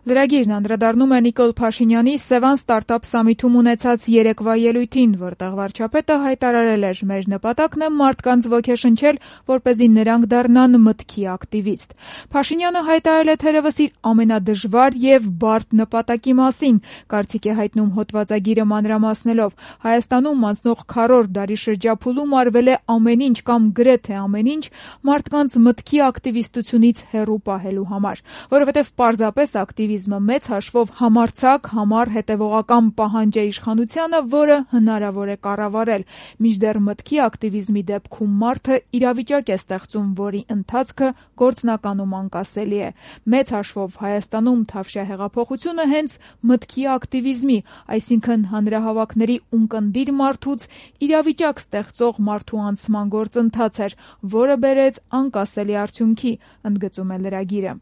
Լրագիրն անդրադառնում է Նիկոլ Փաշինյանի Սևան ստարտափ սամիթում ունեցած երեկվա ելույթին, որտեղ վարչապետը հայտարարել էր. «Մեր նպատակն է մարդկանց ոգեշնչել, որպեսզի նրանք դառնան մտքի ակտիվիստ»։ Փաշինյանը հայտարարել է թերևս իր ամենադժվար եւ բարդ նպատակի մասին, կարծիք է հայտնում հոդվածագիրը մանրամասնելով. Հայաստանում անցնող քառորդ դարի շրջափուլում արվել է ամեն ինչ կամ գրեթե ամեն ինչ մարդկանց մտքի ակտիվիստությունից հեռու պահելու համար, որովհետեւ պարզապես ակտիվիզմը մեծ հաշվով համարձակ, համառ, հետևողական պահանջ է իշխանությանը, որը հնարավոր է կառավարել, մինչդեռ մտքի ակտիվիզմի դեպքում մարդը իրավիճակ է ստեղծում, որի ընթացքը գործնականում անկասելի է։ Մեծ հաշվով Հայաստանում Թավշյա հեղափոխությունը հենց մտքի ակտիվիզմի, այսինքն հանրահավաքների ունկնդիր մարդուց իրավիճակ ստեղծող մարդու անցման գործընթաց էր, որը բերեց անկասելի արդյունքի, ընդգծում է լրագիրը։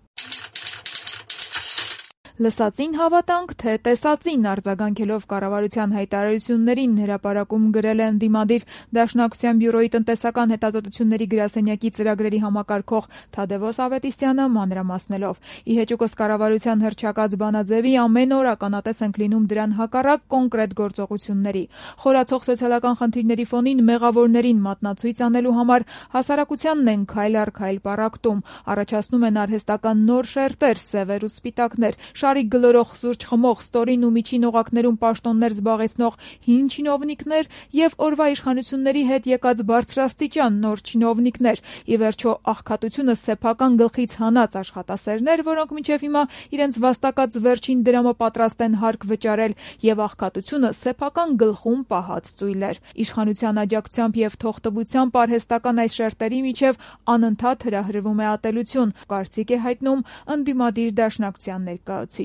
Լսածին հավատանք, թե տեսածին, արձագանքելով կառավարության հայտարարություններին հրապարակում գրել է ընդդիմադիր Դաշնակցության բյուրոյի տնտեսական հետազոտությունների գրասենյակի ծրագրերի համակարգող Թադևոս Ավետիսյանը մանրամասնելով. «Ի հեճուկս կառավարության հռչակած բանաձևի ամեն օր ականատես ենք լինում դրան հակառակ կոնկրետ գործողությունների։ Խորացող սոցիալական խնդիրների ֆոնին մեղավորներին մատնացույց անելու համար հասարակությանն են քայլ առ քայլ պառակտում, առաջացնում են արհեստական նոր շերտեր, սևեր ու սպիտակներ, շարիկ գլորող սուրճ խմող, ստորին ու միջին օղակներում պաշտոններ զբաղեցնող հին չինովնիկներ եւ օրվա իշխանությունների հետ եկած բարձրաստիճան նոր չինովնիկներ, ի վերջո աղքատությունը սեփական գլխից հանած աշխատասերներ, որոնք մինչեւ հիմա իրենց վաստակած վերջին դրամը պատրաստ են հարկ վճարել, եւ աղքատությունը սեփական գլխում պահած ծույլեր։ Իշխանության աջակցությամբ եւ թողտվությամբ արհեստական այս շերտերի միջեւ անընդհատ հրահրվում է ատելություն, կարծիք է հայտնում ընդդիմադիր Դաշնակցության ներկայացուցիչը։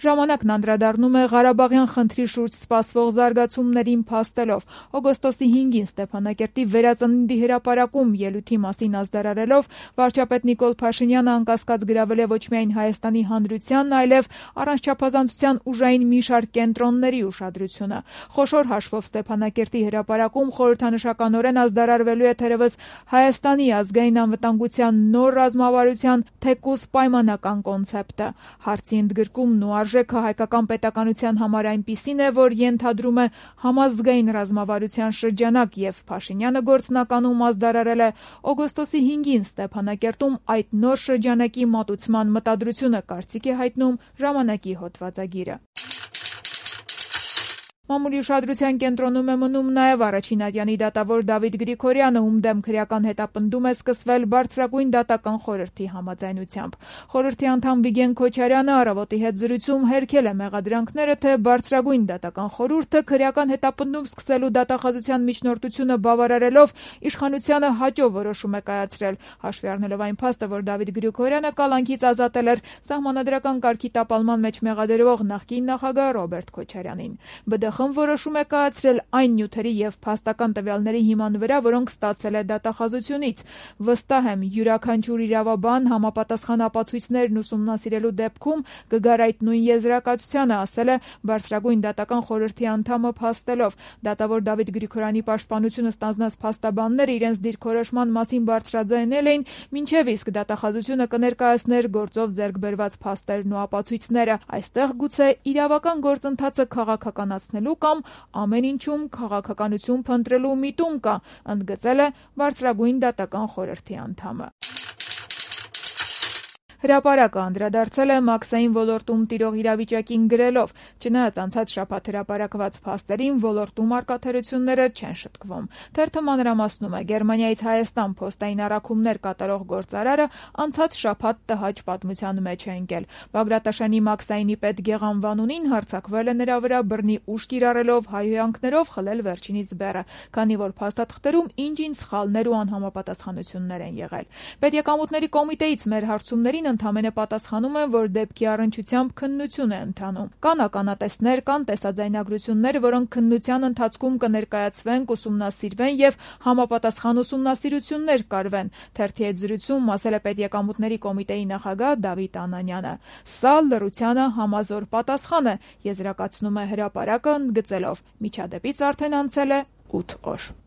Ժամանակն անդրադառնում է Ղարաբաղյան խնդրի շուրջ սպասվող զարգացումներին փաստելով։ Օգոստոսի 5-ին Ստեփանակերտի վերածննդի հրապարակում ելույթի մասին ազդարարելով վարչապետ Նիկոլ Փաշինյանը անկասկած գրավել է ոչ միայն Հայաստանի հանրությանն, այլև առանց չափազանցության ուժային մի շարք կենտրոնների ուշադրությունը։ Խոշոր հաշվով Ստեփանակերտի հրապարակում խորհրդանշականորեն ազդարարվելու է թերևս Հայաստանի ազգային անվտանգության նոր ռազմավարության թեկուզ պայմանական կոնցեպտը։ Հարցի ընդգրկումն ու արժեքը հայկական պետականության համար այնպիսին է, որ ենթադրում է համազգային ռազմավարության շրջանակ, եւ Փաշինյանը գործնականում ազդարարել է օգոստոսի 5-ին Ստեփանակերտում այդ նոր շրջանակի մատուցման մտադրությունը, կարծիք է հայտնում ժամանակի հոդվածագիրը։ Մամուլի ուշադրության կենտրոնում է մնում նաև առաջին ատյանի դատավոր Դավիթ Գրիգորյանը, ում դեմ քրեական հետապնդում է սկսվել Բարձրագույն դատական խորհրդի համաձայնությամբ։ Խորհրդի անդամ Վիգեն Քոչարյանը «Առավոտի» հետ զրույցում հերքել է մեղադրանքները, թե Բարձրագույն դատական խորհուրդը քրեական հետապնդում սկսելու դատախազության միջնորդությունը բավարարելով իշխանությանը հաճո որոշում է կայացրել, հաշվի առնելով այն փաստը, որ Դավիթ Գրիգորյանը կալանքից ազատել էր սահմանադրական կարգի տապալման մեջ մեղադրվող նախկին նախագահ Ռոբերտ Քոչարյանին։ ԲԴԽ-ն որոշում է կայացրել այն նյութերի եւ փաստական տվյալների հիման վրա, որոնք ստացել է դատախազությունից։ Վստահ եմ, յուրաքանչյուր իրավաբան համապատասխան ապացույցներն ուսումնասիրելու դեպքում կգար այդ նույն եզրակացությանը, ասել է Բարձրագույն դատական խորհրդի անդամը փաստելով։ Դատավոր Դավիթ Գրիգորյանի պաշտպանությունը ստանձնած փաստաբանները իրենց դիրքորոշման մասին բարձրաձայնել էին, մինչև իսկ դատախազությունը կներկայացներ գործով ձեռք բերված փաստերն ու ապացույցները։ Այստեղ գուցե իրավական գործընթացը քաղաքականացնելու կամ ամեն ինչում քաղաքականություն փնտրելու միտում կա, ընդգծել է Բարձրագույն դատական խորհրդի անդամը։ Հրապարակը անդրադարձել է մաքսային ոլորտում տիրող իրավիճակին գրելով. «Չնայած անցած շաբաթ հրապարակված փաստերին, ոլորտում առկա թերությունները չեն շտկվում»։ Թերթը մանրամասնում է. Գերմանիայից Հայաստան փոստային առաքումներ կատարող գործարարը անցած շաբաթ տհաճ պատմության մեջ է ընկել։ Բագրատաշանի մաքսայինի պետ Գեղամ Վանունին հարձակվել է նրա վրա բռնի ուժ կիրառելով, հայհոյանքներով խլել վերջինիս բեռը, քանի որ փաստաթղթերում ինչ-ինչ սխալներ ու անհամապատասխանություններ են եղել։ Պետեկամուտների կոմիտեից մեր հարցումներին ընդամենը պատասխանում են, որ դեպքի առնչությամբ քննություն է ընթանում։ Կան ականատեսներ, կան տեսաձայնագրություններ, որոնք քննության ընթացքում կներկայացվեն, կուսումնասիրվեն եւ համապատասխան ուսումնասիրություններ կարվեն։ Թերթի հետ զրույցում ասել է Պետեկամուտների կոմիտեի նախագահ Դավիթ Անանյանը։ Սա լռությանը համազոր պատասխան է, եզրակացնում է հրապարակը ընդգծելով. միջադեպից արդեն անցել է 8 օր։